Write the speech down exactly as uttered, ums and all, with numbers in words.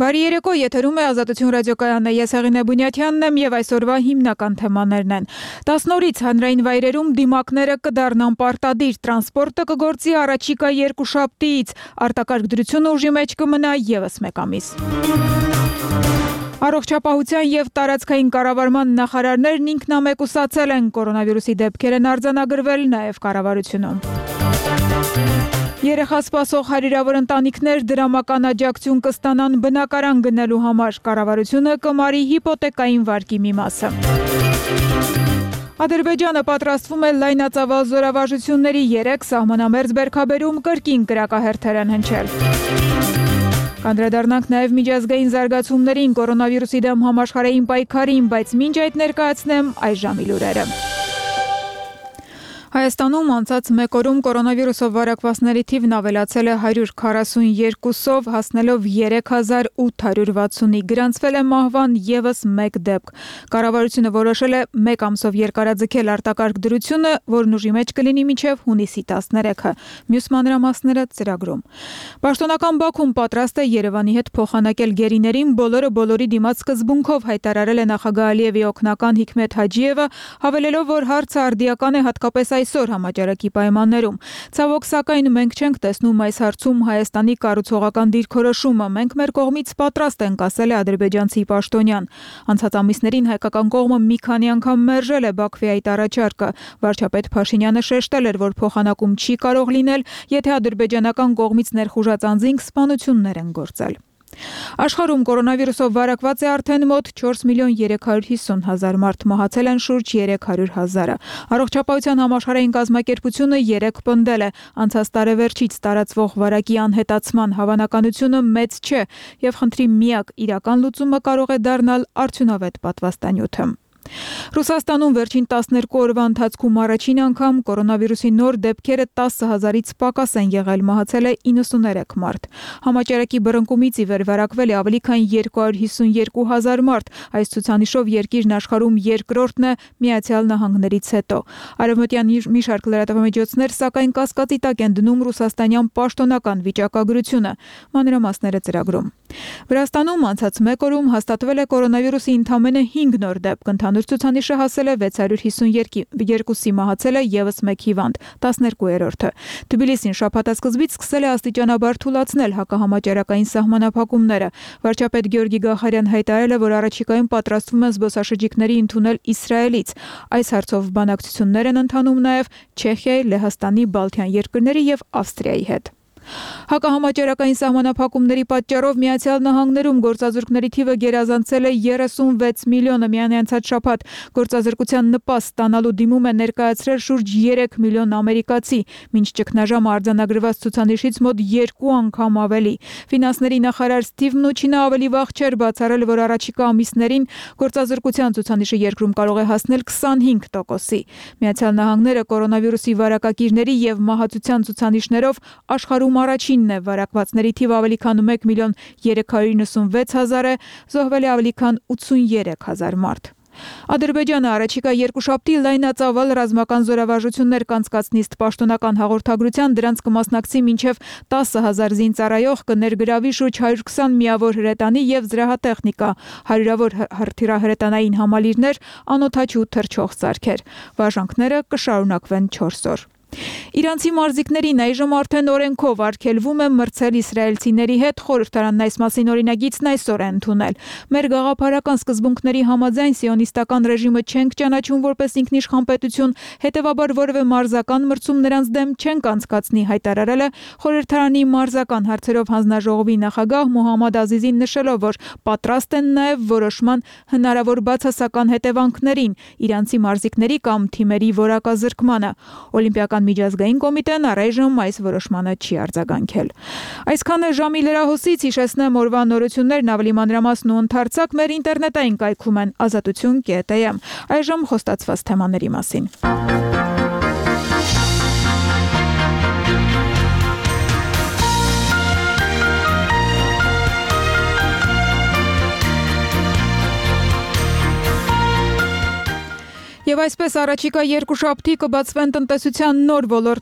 Բարի երեկո, եթերում է Ազատություն ռադիոկայանը, ես Հեղինե Բունյաթյանն եմ և այսօրվա հիմնական թեմաներն են։ տասնօրից հանրային վայրերում դիմակները կդառնան պարտադիր, տրանսպորտը կգործի առաջիկա երկուշաբթիից, արտակարգ դրությունը ուժի մեջ կմնա ևս մեկ ամիս։ Առողջապահության և տարածքային կառավարման նախարարներն ինքնամեկուսացել են, կորոնավիրուսի դեպքեր են արձանագրվել նաև կառավարությունում։ Երեխա սպասող հարյուրավոր ընտանիքներ դրամական աջակցություն կստանան բնակարան գնելու համար, կառավարությունը կմարի հիպոթեկային վարկի մի մասը։ Ադրբեջանը պատրաստվում է լայնածավալ զորավարժությունների երեք սահմանամերձ բերքաբերում կրկին կրակահերթեր են հնչել։ Կանդրադառնանք նաև միջազգային զարգացումներին, կորոնավիրուսի դեմ համաշխարհային պայքարին, բայց մինչ այդ ներկայացնեմ այժմի լուրերը։ Հայաստանում անցած մեկ օրում կորոնավիրուսով վարակվածների թիվն ավելացել է հարյուր քառասունյոթով, հասնելով երեք հազար ութ հարյուր վաթսունի, գրանցվել է մահվան ևս մեկ դեպք։ Կառավարությունը որոշել է մեկ ամսով երկարաձգել արտակարգ դրությունը, որն ուժի մեջ կլինի մինչև հունիսի տասներեքը։ Մյուս մանրամասները ծրագրում։ Պաշտոնական Բաքուն պատրաստ է Երևանի հետ փոխանակել գերիներին, բոլորը բոլորի դիմաց սկզբունքով հայտարարել է նախագահ Ալիևի օգնական Հիքմեթ Հաջիևը, հավելելով, որ հարցը արդիական է հատկապես այսօր համաճարակի պայմաններում։ Ցավոք սակայն մենք չենք տեսնում այս հարցում Հայաստանի կառուցողական դիրքորոշումը, մենք մեր կողմից պատրաստ ենք, ասել է ադրբեջանցի պաշտոնյան։ Անցած ամիսներին հայկական կողմը մի քանի անգամ մերժել է Բաքվի այդ առաջարկը։ Վարչապետ Փաշինյանը շեշտել էր, որ փոխանակում չի կարող լինել, եթե ադրբեջանական կողմից ներխուժած անձինք սպանություններ են գործել։ Աշխարհում կորոնավիրուսով վարակված է արդեն մոտ չորս միլիոն երեք հարյուր հիսուն հազար մարդ, մահացել են շուրջ երեք հարյուր հազարը։ Առողջապահության համաշխարհային կազմակերպությունը երեկ պնդել է, անցած տարեվերջից տարածվող վարակի անհետացման հավանականությունը մեծ չէ և խնդրի միակ իրական լուծումը կարող է դառնալ արդյունավետ պատվաստանյութը։ Ռուսաստանում վերջին տասներկու օրվա ընթացքում առաջին անգամ կորոնավիրուսի նոր դեպքերը տասը հազարից պակաս են եղել, մահացել է իննսուներեք մարդ։ Համաճարակի բռնկումից ի վեր վարակվել է ավելի քան երկու հարյուր հիսունյոթ հազար մարդ, այս ցուցանիշով երկիրն աշխարհում երկրորդն է Միացյալ Նահանգներից հետո։ Արևմտյան մի շարք լրատվամիջոցներ սակայն կասկածի տակ են դնում ռուսաստանյան պաշտոնական վիճակագրությունը։ Մանրամասները ծրագրում։ Վրաստանում անցած մեկ օրում հաստատվել է կորոնավիրուսի ընդամենը հինգ նոր դեպք, ընդհանուր ցուցանիշը հասել է վեց հարյուր հիսունյոթի, մահացել է ևս մեկ հիվանդ, տասներկուերորդը։ Թբիլիսին շաբաթասկզբից սկսել է աստիճանաբար թուլացնել հակահամաճարակային սահմանափակումները։ Վարչապետ Գեորգի Գախարյան հայտարարել է, որ առաջիկայում պատրաստվում են զբոսաշրջիկների ընդունել Իսրայելից։ Այս հարցով բանակցություններ են ընթանում նաև Չեխիայի, Լեհաստանի, Բալթյան երկրների և Ավստրիայի հետ։ Հակահամաճարակային սահմանափակումների պատճառով Միացյալ Նահանգներում գործազուրկների թիվը գերազանցել է երեսունվեց միլիոնը, միայն անցած շաբաթ գործազրկության նպաստ ստանալու դիմում է ներկայացրել շուրջ երեք միլիոն ամերիկացի, մինչ ճգնաժամը արձանագրված ցուցանիշից մոտ երկու անգամ ավելի։ Ֆինանսների նախարար Սթիվ Մնուչինը ավելի վաղ չէր բացառել, որ առաջիկա ամիսներին գործազրկության ցուցանիշը երկրում կարող է հասնել քսանհինգ տոկոսի։ Միացյալ Նահանգները կորոնավիրուսի վարակակիրների և մահացության ցուցանիշներով աշխարհում առաջինն է, վարակվածների թիվը ավելի քան մեկ միլիոն երեք հարյուր իննսունվեց հազար է, զոհվել է ավելի քան ութսունյերեք հազար մարդ։ Ադրբեջանը առաջիկա երկուշաբթի լայնածավալ ռազմական զորավարժություններ կանցկացնի, ըստ պաշտոնական հաղորդագրության դրանց կմասնակցի մինչև տասը հազար զինծառայող, կներգրավի շուրջ հարյուր քսան միավոր հրետանի և զրահատեխնիկա, հարյուրավոր հրետանային համալիրներ, անօդաչու թռչող սարքեր։ Վարժանքները կշարունակվեն չորս օր։ Իրանցի մարզիկներին այժմ արդեն օրենքով արգելվում է մրցել իսրայելցիների հետ, խորհրդարանն այս մասին օրինագիծն այսօր է ընդունել։ Մեր գաղափարական սկզբունքների համաձայն սիոնիստական ռեժիմը չենք ճանաչում որպես ինքնիշխան պետություն, հետևաբար որևէ մարզական մրցում նրանց դեմ չենք անցկացնի, հայտարարել է խորհրդարանի մարզական հարցերով հանձնաժողովի նախագահ Մոհամմադ Ազիզին, նշելով, որ պատրաստ են նաև որոշման հնարավոր բացասական հետևանքներին իրանցի մարզիկների կամ թիմերի որակազրկմանը։ Օլիմպիական միջազգային կոմիտեն առայժմ այս որոշմանը չի արձագանքել։ Այսքանը ժամի լրահոսից, հիշեցնեմ օրվա նորություններն ավելի մանրամասն ու ընդարձակ մեր ինտերնետային կայքում են ազատություն կետ եմ։ Այժմ խոստացված թեմաների մասին։ Եվ այսպես առաջիկա երկուշաբթի կբացվեն տնտեսության նոր ոլորտներ